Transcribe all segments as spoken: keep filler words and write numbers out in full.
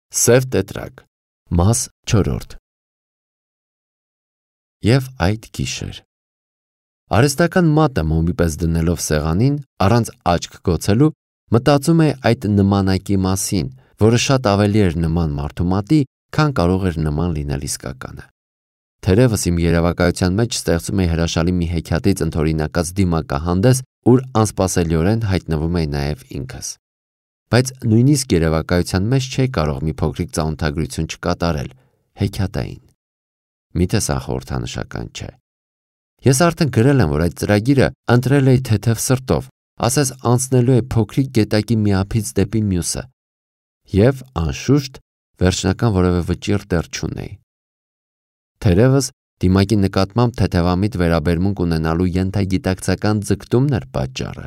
Սև տետրակ, մաս չորրորդ։ Եվ այդ գիշեր արհեստական մատը մոմի պես դնելով սեղանին, առանց աչք գոցելու, մտածում է այդ նմանակի մասին, որը շատ ավելի էր նման մարդու մատի, քան կարող էր նման լինել իսկականը։ Թերևս իմ երևակայության մեջ ստեղծում է հրաշալի մի հեքիաթից ընդօրինակած դիմակահանդես, ուր անսպասելիորեն հայտնվում է նաև ինքս։ Բայց նույնիսկ երևակայության մեջ չէի կարող մի փոքրիկ ծանոթագրություն չկատարել, հեքիաթային։ Միթե սա խորհրդանշական չէ։ Ես արդեն գրել եմ, որ այդ ծրագիրը ընտրել էի թեթև սրտով, ասես անցնելու է փոքրիկ գետակի մի ափից դեպի մյուսը, և անշուշտ վերջնական որևէ վճիռ դեռ չունեի։ Թերևս դիմակի նկատմամբ թեթևամիտ վերաբերմունք ունենալու ենթագիտակցական ձգտումն էր պատճառը։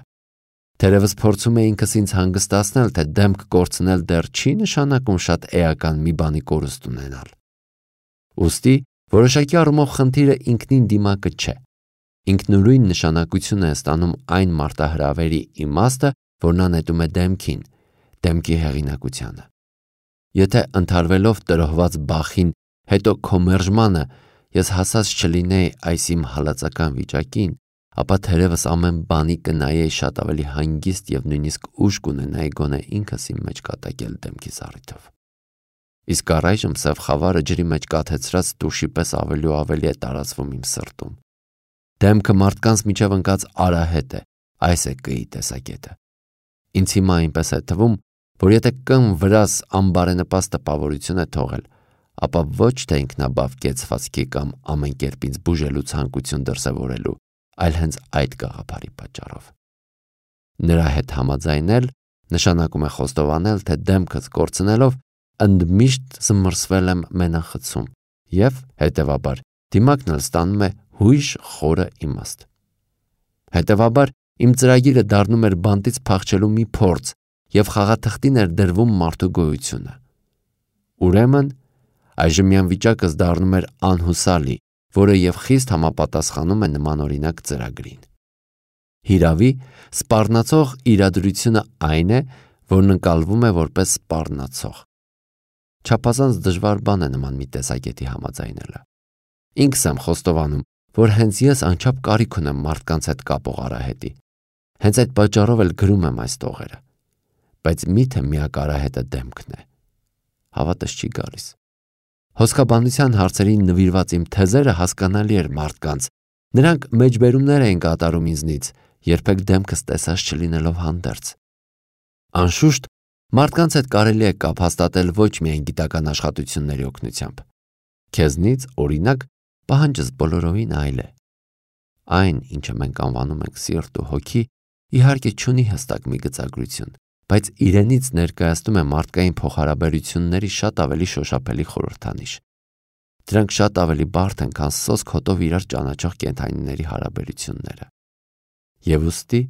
Թերևս փորձում էի ինքս ինձ հանգստացնել, թե դեմք կորցնել դեռ չի նշանակում շատ էական մի բանի կորուստ ունենալ։ Ուստի որոշակի առումով խնդիրը ինքնին դիմակը չէ։ Ինքնուրույն նշանակություն է ստանում այն մարտահրավերի իմաստը, որ նա նետում է դեմքին, դեմքի հեղինակությանը։ Եթե ընդհարվելով տրոհված բախին, հետո քո մերժմանը, ես հասած չլինեի այս իմ հալածական վիճակին, ապա թերևս ամեն բանի կնայեի շատ ավելի հանգիստ և նույնիսկ ուժ կունենայի գոնե ինքս իմ մեջ կատակել դեմքի զառիթով։ Իսկ առայժմ սև խավարը ջրի մեջ կաթեցրած տուշի պես ավելի ու ավելի է տարածվում իմ սրտում։ Դեմքը մարդկանց միջև ընկած արահետ է, այս է կի տեսակետը։ Ինձ հիմա այնպես է թվում, որ եթե կն վրաս անբարենպաստ տպավորություն է թողել, ապա ոչ թե ինքնաբավ կեցվածքի կամ ամեն կերպ ինձ բուժելու ցանկություն դրսևորելու, այլ հենց այդ գաղափարի պատճառով։ Նրա հետ համաձայնել նշանակում է խոստովանել, թե դեմքս կորցնելով ընդմիշտ զմռսվել եմ մենախցում և, հետևաբար, դիմակն էլ ստանում է հույժ խորը իմաստ։ Հետևաբար, իմ ծրագիրը դառնում էր բանտից փախչելու մի փորձ և խաղաթղթին էր դրվում մարդու գոյությունը։ Ուրեմն, այժմյան վիճակս դառնում էր անհուսալի, որը և խիստ համապատասխանում է նմանօրինակ ծրագրին։ Հիրավի, սպառնացող իրադրությունը այն է, որն ընկալվում է որպես սպառնացող։ Չափազանց դժվար բան է նման մի տեսակետի համաձայնելը։ Ինքս եմ խոստովանում, որ հենց ես անչափ կարիք ունեմ մարդկանց հետ կապող արահետի։ Հենց այդ պատճառով էլ գրում եմ այս տողերը։ Բայց միթե միակ արահետը դեմքն է։ Հավատս չի գալիս։ Հոսքաբանության հարցերին նվիրված իմ թեզերը հասկանալի էր մարդկանց։ Նրանք մեջբերումներ էին կատարում ինձնից, երբեք դեմքս տեսած չլինելով հանդերձ։ Անշուշտ, մարդկանց հետ կարելի է կապ հաստատել ոչ միայն գիտական աշխատությունների օգնությամբ։ Քեզնից, օրինակ, պահանջս բոլորովին այլ է։ Այն, ինչը մենք անվանում ենք սիրտ ու հոգի, իհարկե չունի հստակ մի գծագրություն, բայց իրենից ներկայացնում է մարդկային փոխհարաբերությունների շատ ավելի շոշափելի խորհրդանիշ։ Դրանք շատ ավելի բարդ են, քան սոսկ հոտով իրար ճանաչող կենդանիների հարաբերությունները։ Եվ ուստի,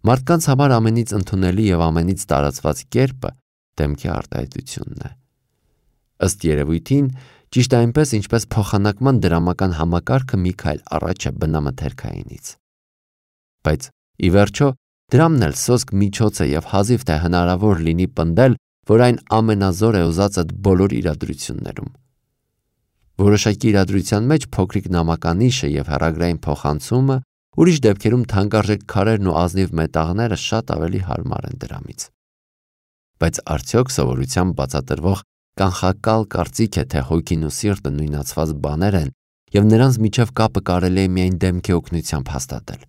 մարդկանց համար ամենից ընդունելի և ամենից տարածված կերպը դեմքի արտահայտությունն է։ Ըստ երևույթին, ճիշտ այնպես, ինչպես փոխանակման դրամական համակարգը մի քայլ առաջ է բնամթերքայինից։ Բայց, ի վերջո, դրամն էլ սոսկ միջոց է և հազիվ թե հնարավոր լինի պնդել, որ այն ամենազոր է ուզածդ բոլոր իրադրություններում։ Որոշակի իրադրության մեջ փոքրիկ նամականիշը և հեռագրային փոխանցումը, ուրիշ դեպքերում թանկարժեք քարերն ու ազնիվ մետաղները շատ ավելի հարմար են դրամից։ Բայց արդյոք սովորությամբ բացատրվող կանխակալ կարծիք է, թե հոգին ու սիրտը նույնացված բաներ են և նրանց միջև կապը կարելի է միայն դեմքի օգնությամբ հաստատել։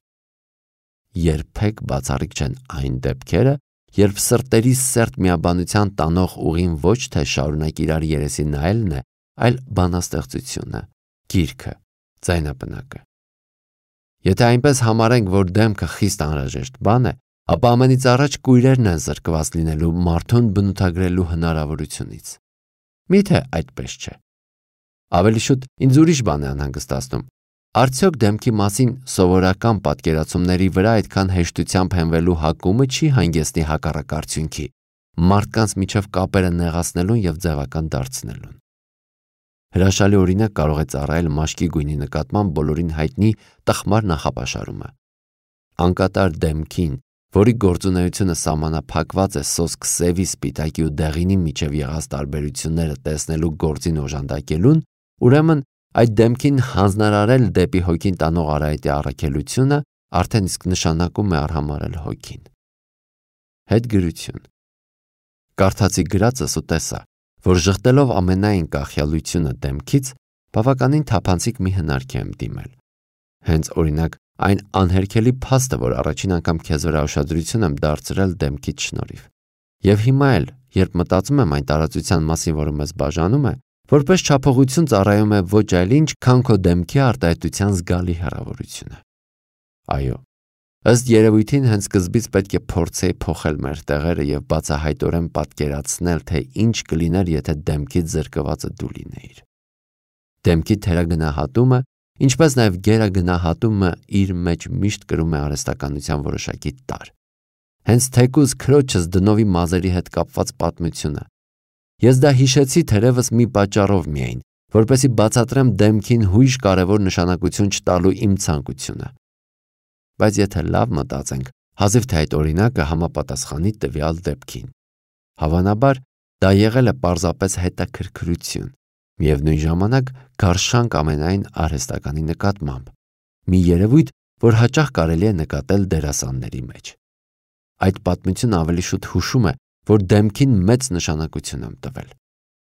Երբեք բացառիկ չեն այն դեպքերը, երբ սրտերի սերտ միաբանության տանող ուղին ոչ թե շարունակ իրար երեսի նայելն է, այլ բանաստեղծությունը, գիրքը, ձայնապնակը։ Եթե այնպես համարենք, որ դեմքը խիստ անհրաժեշտ բան է, ապա ամենից առաջ կույրերն են զրկված լինելու մարդուն բնութագրելու հնարավորությունից։ Միթե այդպես չէ։ Ավելի շուտ ինձ ուրիշ բան է անհանգստացնում։ Արդյոք դեմքի մասին սովորական պատկերացումների վրա այդքան հեշտությամբ հենվելու հակումը չի հանգեցնի հակառակ արդյունքի՝ մարդկանց միջև կապերը նեղացնելուն և ձևական դարձնելուն։ Հրաշալի օրինակ կարող է ծառայել մաշկի գույնի նկատմամբ բոլորին հայտնի տխմար նախապաշարումը։ Անկատար դեմքին որի գործունեությունը սահմանափակված է սոսկ սևի, սպիտակի ու դեղինի միջև եղած տարբերությունները տեսնելու գործին օժանդակելուն, ուրեմն այդ դեմքին հանձնարարել դեպի հոգին տանող արահետի առաքելությունը արդեն իսկ նշանակում է արհամարել հոգին։ Հետգրություն։ Կարդացի գրածս ու տեսա, որ ժխտելով ամենայն կախյալությունը դեմքից, բավականին թափանցիկ մի հնարքի եմ դիմել։ Հենց օրինակ այն անհերքելի փաստը, որ առաջին անգամ քեզ վրա ուշադրություն եմ դարձրել դեմքից շնորհիվ։ Եվ հիմա էլ, երբ մտածում եմ այն տարածության մասին, որը մեզ բաժանում է, որպես չափողություն ծառայում է ոչ այլ ինչ, քան քո դեմքի արտահայտության զգալի հեռավորությունը։ Այո, ըստ երևույթին հենց սկզբից պետք է փորձեի փոխել մեր տեղերը եւ բացահայտորեն պատկերացնել, թե ինչ կլիներ, եթե դեմքից զրկվածը դու լինեիր։ Դեմքի թերագնահատումը, ինչպես նաև գերագնահատումը իր մեջ միշտ կրում է արհեստականության որոշակի տարր։ Հենց թեկուզ քրոջս դնովի մազերի հետ կապված պատմությունը։ Ես դա հիշեցի թերևս մի պատճառով միայն, որպեսզի բացատրեմ դեմքին հույժ կարևոր նշանակություն չտալու իմ ցանկությունը։ Բայց եթե լավ մտածենք, հազիվ թե այդ օրինակը համապատասխանի տվյալ դեպքին։ Հավանաբար դա եղել է պարզապես հետաքրքրություն, միևնույն ժամանակ գարշանք ամենայն արհեստականի նկատմամբ, մի երևույթ, որ հաճախ կարելի է նկատել դերասանների մեջ։ Այդ պատմությունը ավելի շուտ հուշում է, որ դեմքին մեծ նշանակություն եմ տվել,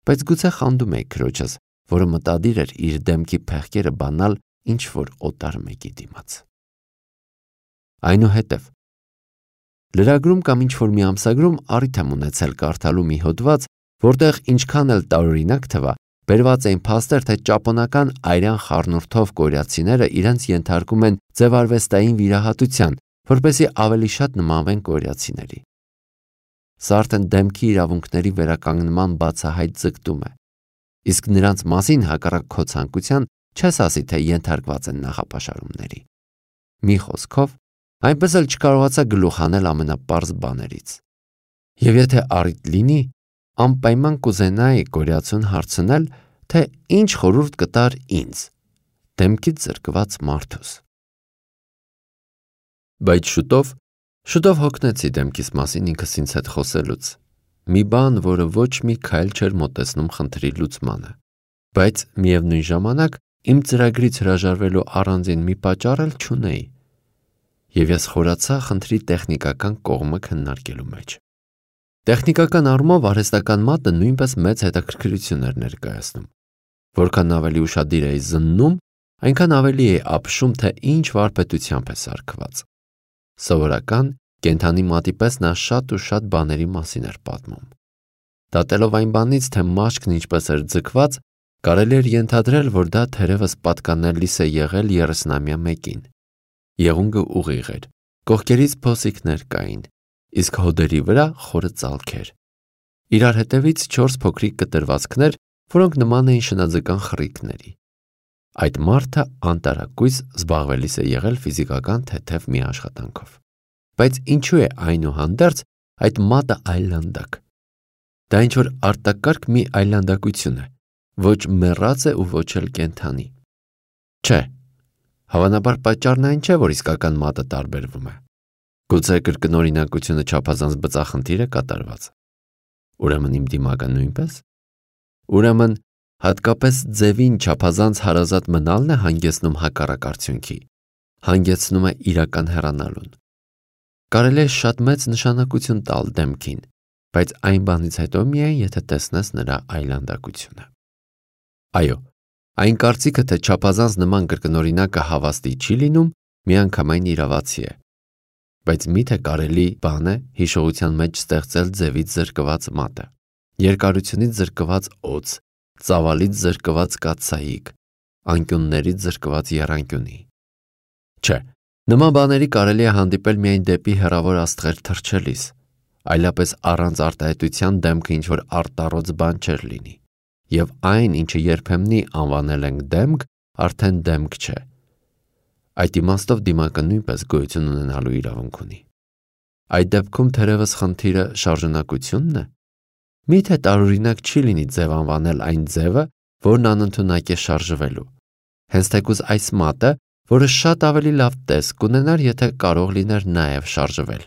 բայց գուցե խանդում էի քրոջս, որը մտադիր էր իր դեմքի փեղկերը բանալ ինչ-որ օտար մեկի դիմաց։ Այնուհետև լրագրում կամ ինչ-որ մի ամսագրում առիթ եմ ունեցել կարդալու մի հոդված, որտեղ ինչքան էլ տարօրինակ թվա, բերված էին փաստեր, թե ճապոնական այրան խառնուրդով կորեացիները իրենց ենթարկում են ձևարվեստային վիրահատության, որպեսզի ավելի շատ նմանվեն կորեացիների։ Սա արդեն դեմքի իրավունքների վերականգնման բացահայտ ձգտում է, իսկ նրանց մասին հակառակ քո ցանկության չես ասի, թե ենթարկված են նախապաշարումների։ Մի խոսքով, այնպես էլ չկարողացա գլուխ հանել ամենապարզ բաներից։ Եվ եթե առիթ լինի, անպայման կուզենայի կորեացուն հարցնել, թե ինչ խորհուրդ կտար ինձ, դեմքից զրկված մարդուս։ Բայց շուտով, շուտով հոգնեցի դեմքիս մասին ինքս ինձ հետ խոսելուց, մի բան, որը ոչ մի քայլ չէր մոտեցնում խնդրի լուծմանը, բայց միևնույն ժամանակ իմ ծրագրից հրաժարվելու առանձին մի պատճառ էլ չունեի, եւ ես խորացա խնդրի տեխնիկական կողմը քննարկելու մեջ։ Տեխնիկական առումով արհեստական մատը նույնպես մեծ հետաքրքրություն էր ներկայացնում։ Որքան ավելի ուշադիր էի զննում, այնքան ավելի էի ապշում, թե ինչ վարպետությամբ է սարքված։ Սովորական կենդանի մատի պես նա շատ ու շատ բաների մասին էր պատմում։ Դատելով այն բանից, թե մաշկն ինչպես էր ձգված, կարելի էր ենթադրել, որ դա թերևս պատկանելիս է եղել երեսնամյա մեկին։ Եղունգը ուղիղ էր, կողքերից փոսիկներ կային, իսկ հոդերի վրա խորը ծալքեր։ Իրար հետևից չորս փոքրիկ կտրվածքներ, որոնք նման էին շնաձկան խռիկների։ Այդ մարդը անտարակույս զբաղվելիս է եղել ֆիզիկական թեթև մի աշխատանքով։ Բայց ինչու է այնուհանդերձ այդ մատը այլանդակ։ Դա ինչ-որ արտակարգ մի այլանդակություն է, ոչ մեռած է ու ոչ էլ կենդանի։ Չէ, հավանաբար պատճառն այն չէ, որ իսկական մատը տարբերվում է։ Գուցե կրկնօրինակությունը չափազանց բծախնդիր է կատարված։ Ուրեմն իմ դիմակը նույնպես։ Ուրեմն հատկապես ձևին չափազանց հարազատ մնալն է հանգեցնում հակառակ արդյունքի, հանգեցնում է իրական հեռանալուն։ Կարելի է շատ մեծ նշանակություն տալ դեմքին, բայց այն բանից հետո միայն, եթե տեսնես նրա այլանդակությունը։ Այո, այն կարծիքը, թե չափազանց նման կրկնօրինակը հավաստի չի լինում, միանգամայն իրավացի է։ Բայց միթե կարելի բան է հիշողության մեջ ստեղծել ձևից զրկված մատը, երկարությունից զրկված օձ, ծավալից զրկված կաթսայիկ, անկյուններից զրկված եռանկյունի։ Չէ, նման բաների կարելի է հանդիպել միայն դեպի հեռավոր աստղեր թռչելիս, այլապես առանց արտահայտության դեմքը ինչ-որ արտառոց բան չէր լինի, եւ այն, ինչը երբեմնի անվանել ենք դեմք, արդեն դեմք չէ։ Այդ իմաստով դիմակը նույնպես գոյություն ունենալու իրավունք ունի։ Այդ դեպքում թերևս խնդիրը շարժունակությունն է։ Միթե տարօրինակ չի լինի ձև անվանել այն ձևը, որն անընդունակ է շարժվելու։ Հենց թեկուզ այս մատը, որը շատ ավելի լավ տեսք կունենար, եթե կարող լիներ նաև շարժվել,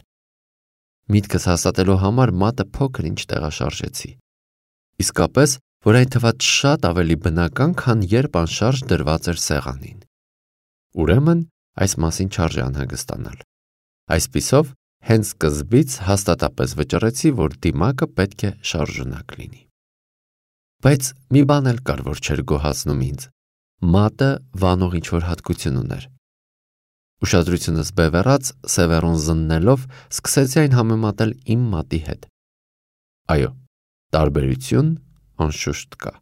Միտքս հաստատելու համար մատը փոքր ինչ տեղաշարժեցի։ Իսկապես, որ այն թվաց շատ ավելի բնական, քան երբ անշարժ դրված էր սեղանին։ Ուրեմն, այս մասին չարժե անհանգստանալ։ Այսպիսով, հենց սկզբից հաստատապես վճռեցի, որ դիմակը պետք է շարժունակ լինի։ Բայց մի բան էլ կար, որ չէր գոհացնում ինձ։ Մատը վանող ինչ-որ հատկություն ուներ։ Ուշադրությունս բևեռած, Սևեռուն զննելով, սկսեցի այն համեմատել իմ մատի հետ։ Այո, տարբերություն անշուշտ կա։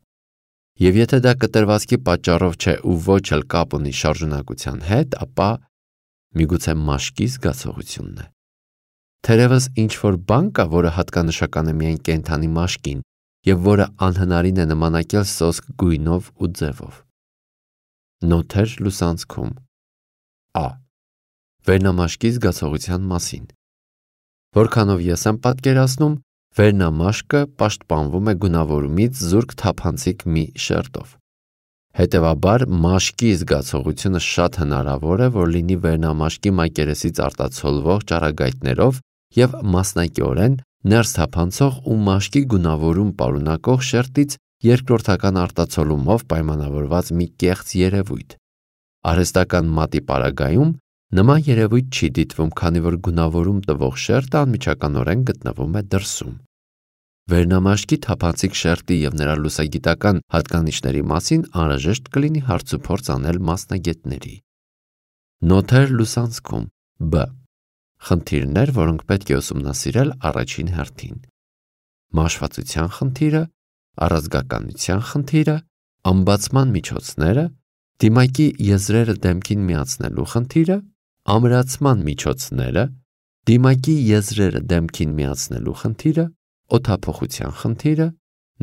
Եվ եթե դա կտրվածքի պատճառով չէ ու ոչ էլ կապ ունի շարժունակության հետ, ապա միգուցե մաշկի զգացողությունն է։ Թերևս ինչ-որ բան կա, որը հատկանշական է միայն կենդանի մաշկին և որը անհնարին է նմանակել սոսկ գույնով ու ձևով։ Նոթեր լուսանցքում Ա. Վերնամաշկի զգացողության մասին։ Որքանով ես եմ պատկերացնում, վերնամաշկը պաշտպանվում է գունավորումից զուրկ թափանցիկ մի շերտով։ Հետևաբար, մաշկի զգացողությունը շատ հնարավոր է, որ լինի վերնամաշկի մակերեսից արտացոլվող ճառագայթներով և մասնակիորեն ներս թափանցող ու մաշկի գունավորում պարունակող շերտից երկրորդական արտացոլումով պայմանավորված մի կեղծ երևույթ։ Արհեստական մատի պարագայում նման երևույթ չի դիտվում, քանի որ գունավորում տվող շերտը անմիջականորեն գտնվում է դրսում։ Վերնամաշկի թափանցիկ շերտի և նրա լուսագիտական հատկանիշների մասին անհրաժեշտ կլինի հարցուփորձ անել մասնագետների։ Նոթեր լուսանցքում Բ. Խնդիրներ, որոնք պետք է ուսումնասիրել առաջին հերթին։ Մաշվածության խնդիրը, առազգականության խնդիրը, ամբացման միջոցները, դիմակի եզրերը դեմքին միացնելու խնդիրը, ամրացման միջոցները, դիմակի եզրերը դեմքին միացնելու խնդիրը, օդափոխության խնդիրը,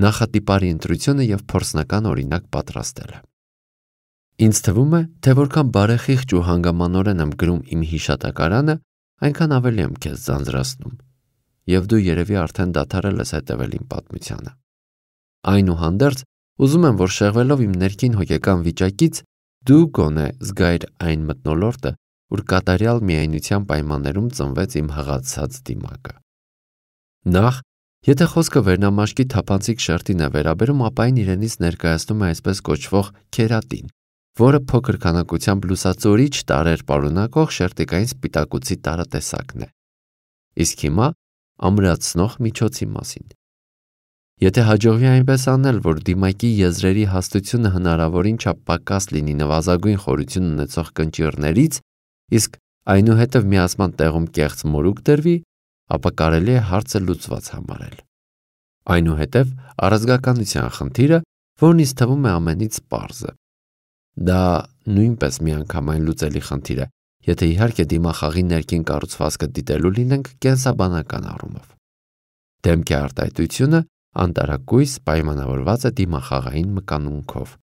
նախատիպարի ընտրությունը և փորձնական օրինակ պատրաստելը։ Ինձ թվում է, թե որքան բարեխիղճ ու հանգամանորեն եմ գրում իմ հիշատակարանը, այնքան ավելի եմ քեզ ձանձրացնում, և դու երևի արդեն դադարել ես հետևել իմ պատմությանը։ Այնուհանդերձ, ուզում եմ, որ շեղվելով իմ ներքին հոգեկան վիճակից, դու գոնե զգայր այն մթնոլորտը, որ կատարյալ միայնության պայմաններում ծնվեց իմ հղացած դիմակը։ Նախ, եթե խոսքը վերնամաշկի թափանցիկ շերտին է վերաբերում, ապա այն իրենից ներկայացնում է այսպես կոչվող քերատին, որը փոքր քանակությամբ լուսածորիչ տարրեր պարունակող շերտիկային սպիտակուցի տարատեսակն է։ Իսկ հիմա ամրացնող միջոցի մասին։ Եթե հաջողվի այնպես անել, որ դիմակի եզրերի հաստությունը հնարավորին չափ պակաս լինի նվազագույն խորություն ունեցող կնճիռներից, իսկ այնուհետև միացման տեղում կեղծ մորուք դրվի, ապա կարելի է հարցը լուծված համարել։ Այնուհետև առազգականության խնդիրը, որն ինձ թվում է ամենից պարզը։ Դա նույնպես միանգամայն լուծելի խնդիր է, եթե իհարկե դիմախաղի ներքին կառուցվածքը դիտելու լինենք կենսաբանական առումով։ Դեմքի արտահայտությունը անտարակույս պայմանավորված է դիմախաղային մկանունքով։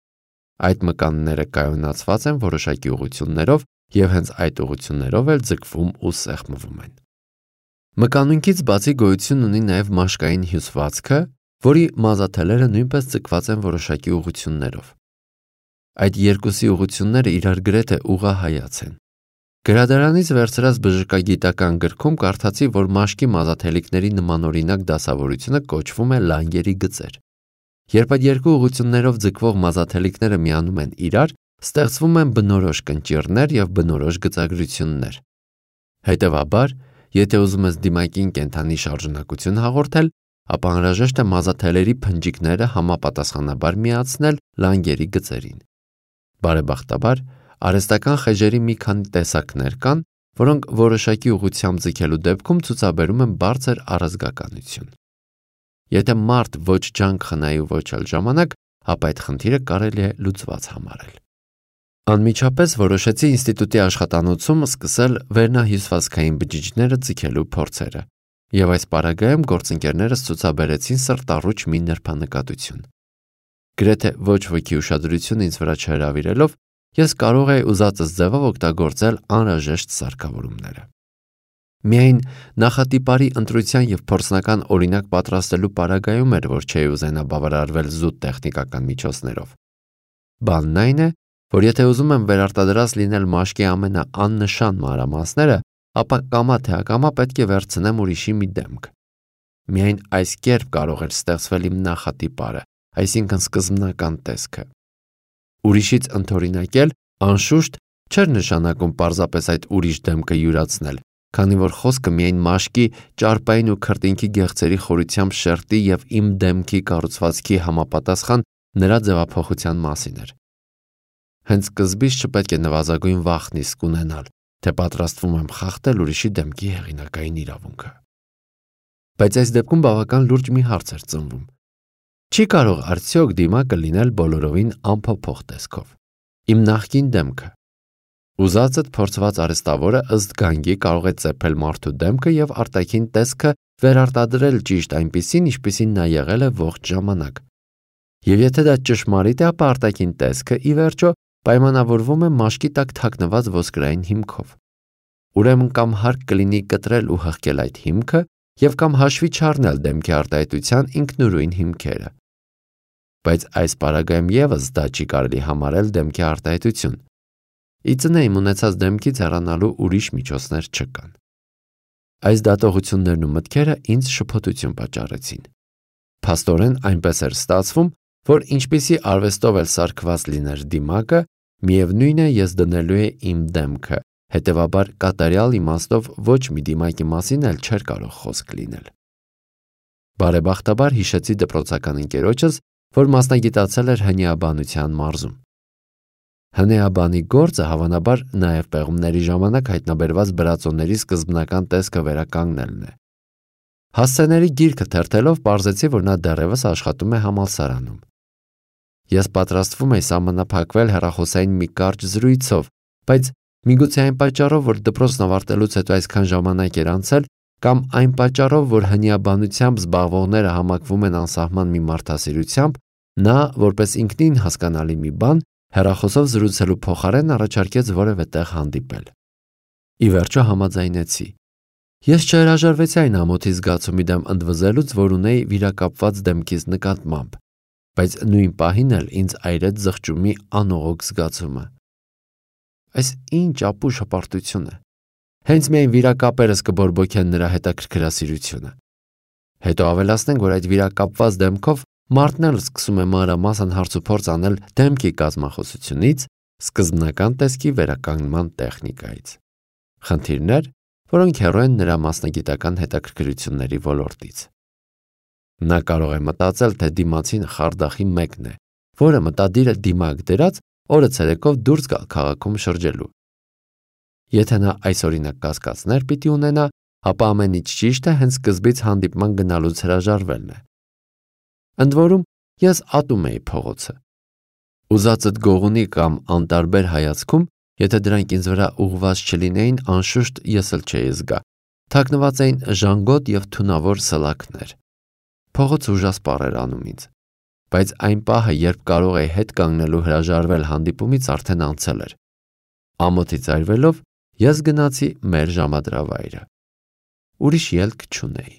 Այդ մկանները կայունացված են որոշակի ուղղություններով և հենց այդ ուղղություններով էլ ձգվում ու սեղմվում են։ Մկանունքից բացի գոյություն ունի նաև մաշկային հյուսվածքը, որի մազաթելերը նույնպես ձգված են որոշակի ուղղություններով։ Այդ երկուսի ուղղությունները իրար գրեթե ուղղահայաց են։ Գրադարանից վերցրած բժշկագիտական գրքում կարդացի, որ մաշկի մազաթելիկների նմանօրինակ դասավորությունը կոչվում է լանգերի գծեր։ Երբ այդ երկու ուղղություններով ձգվող մազաթելիկները միանում են իրար, ստեղծվում են բնորոշ կնճիռներ և բնորոշ գծագրություններ։ Հետևաբար, եթե ուզում ես դիմակին կենդանի շարժունակություն հաղորդել, ապա անհրաժեշտ է մազաթելերի փնջիկները համապատասխանաբար միացնել լանգերի գծերին։ Բարեբախտաբար, արհեստական խեժերի մի քանի տեսակներ կան, որոնք որոշակի ուղղությամբ ձգելու դեպքում ցուցաբերում են բարձր առազգականություն։ Եթե մարդ ոչ ջանք խնայի ու ոչ էլ ժամանակ, ապա այդ խնդիրը կարելի է լուծված համարել։ Անմիջապես որոշեցի ինստիտուտի աշխատանոցում սկսել վերնահյուսվածքային բջիջները ձգելու փորձերը, և այս պարագայում գործընկերներս ցուցաբերեցին սրտառուչ մի նրբանկատություն։ Գրեթե ոչ ոքի ուշադրություն ինձ վրա չհրավիրելով, ես կարող էի ուզածս ձևով օգտագործել անհրաժեշտ սարքավորումները։ Միայն նախատիպարի ընտրության և փորձնական օրինակ պատրաստելու պարագայում էր, որ չէի ուզենա բավարարվել զուտ տեխնիկական միջոցներով։ Բանն այն է, որ եթե ուզում եմ վերարտադրած լինել մաշկի ամենաաննշան մանրամասները, ապա կամա թե ակամա պետք է վերցնեմ ուրիշի մի դեմք։ Միայն այս կերպ կարող էր ստեղծվել իմ նախատիպարը, այսինքն սկզբնական տեսքը։ Ուրիշից ընդօրինակել, անշուշտ, չէր նշանակում պարզապես այդ ուրիշ դեմքը յուրացնել, քանի որ խոսքը միայն մաշկի, ճարպային ու քրտինքի գեղձերի խորությամբ շերտի և իմ դեմքի կառուցվածքի համապատասխան նրա ձևափոխության մասին էր։ Հենց սկզբից չպետք է նվազագույն վախն իսկ ունենալ, թե պատրաստվում եմ խախտել ուրիշի դեմքի հեղինակային իրավունքը։ Բայց այս դեպքում բավական լուրջ մի հարց էր ծնվում. չի կարող արդյոք դիմակը լինել բոլորովին անփոփոխ տեսքով։ Իմ նախկին դեմքը։ Ուզածդ փորձված արհեստավորը ըստ գանգի կարող է ծեփել մարդու դեմքը և արտաքին տեսքը վերարտադրել ճիշտ այնպիսին, ինչպիսին նա եղել է ողջ ժամանակ։ Եվ եթե դա ճշմարիտ է, ապա արտաքին տեսքը, ի վերջո, պայմանավորվում է մաշկի տակ թաքնված ոսկրային հիմքով։ Ուրեմն կամ հարկ կլինի կտրել ու հղկել այդ հիմքը և կամ հաշվի չառնել դեմքի արտահայտության ինքնուրույն հիմքերը։ Բայց այս պարագայում ևս դա չի կարելի համարել դեմքի արտահայտություն։ Ի ծնե իմ ունեցած դեմքից հեռանալու ուրիշ միջոցներ չկան։ Այս դատողություններն ու մտքերը ինձ շփոթություն պատճառեցին։ Փաստորեն այնպես էր ստացվում, որ ինչպիսի արվեստով էլ սարքված լիներ դիմակը, միևնույն է ես դնելու է իմ դեմքը, հետևաբար կատարյալ իմաստով ոչ մի դիմակի մասին էլ չէր կարող խոսք լինել։ Բարեբախտաբար հիշեցի դպրոցական ընկերոջս, որ մասնագիտացել էր հնիաբանության մարզում։ Հնիաբանի գործը հավանաբար նաև պեղումների ժամանակ հայտնաբերված բրածոների սկզբնական տեսքը վերականգնելն է։ Հասցեների գիրքը թերթելով պարզեցի, որ նա դեռևս աշխատում է համալսարանում։ Ես պատրաստվում էի սահմանափակվել հեռախոսային մի կարճ զրույցով, բայց միգուցե այն պատճառով, որ դպրոցն ավարտելուց հետո այսքան ժամանակ էր անցել, կամ այն պատճառով, որ հնիաբանությամբ զբաղվողները համակվում են անսահման մի մարդասիրությամբ, նա, որպես ինքնին հասկանալի մի բան, հեռախոսով զրուցելու փոխարեն առաջարկեց որևէ տեղ հանդիպել։ Ի վերջո համաձայնեցի։ Ես չհրաժարվեցի այն ամոթի զգացումի դեմ ընդվզելուց, որ ունեի վիրակապված դեմքիս նկատմամբ, բայց նույն պահին էլ ինձ այրեց զղջումի անողոք զգացումը։ Այս ինչ ապուշ հպարտություն է։ Հենց միայն վիրակապերս կբորբոքեն նրա հետաքրքրասիրությունը։ Հետո ավելացնենք, որ այդ վիրակապված դեմքով մարդն էլ սկսում է մանրամասն հարցուփորձ անել դեմքի կազմախոսությունից, սկզբնական տեսքի վերականգնման տեխնիկայից։ Խնդիրներ, որոնք հեռու են նրա մասնագիտական հետաքրքրությունների ոլորտից։ Նա կարող է մտածել, թե դիմացին խարդախի մեկն է, որը մտադիր է դիմակ դրած օրը ցերեկով դուրս գալ քաղաքում շրջելու։ Եթե նա այս օրինակ կասկածներ պիտի ունենա, ապա ամեն ինչ ճիշտ է հենց սկզբից հանդիպման գնալուց հրաժարվելն է։ Ընդ որում, ես ատում էի փողոցը։ Ուզածդ գողունի կամ անտարբեր հայացքում, եթե դրանք ինձ վրա ուղղված չլինեին, անշուշտ ես էլ չէի զգա։ Թաքնված էին ժանգոտ և թունավոր սլաքներ։ Փողոցը ուժասպառ էր անում ինձ։ Բայց այն պահը, երբ կարող էի հետ կանգնելու հրաժարվել հանդիպումից, արդեն անցել էր։ Ամոթից այրվելով, ես գնացի մեր ժամադրավայրը։ Ուրիշ ելք չունեի։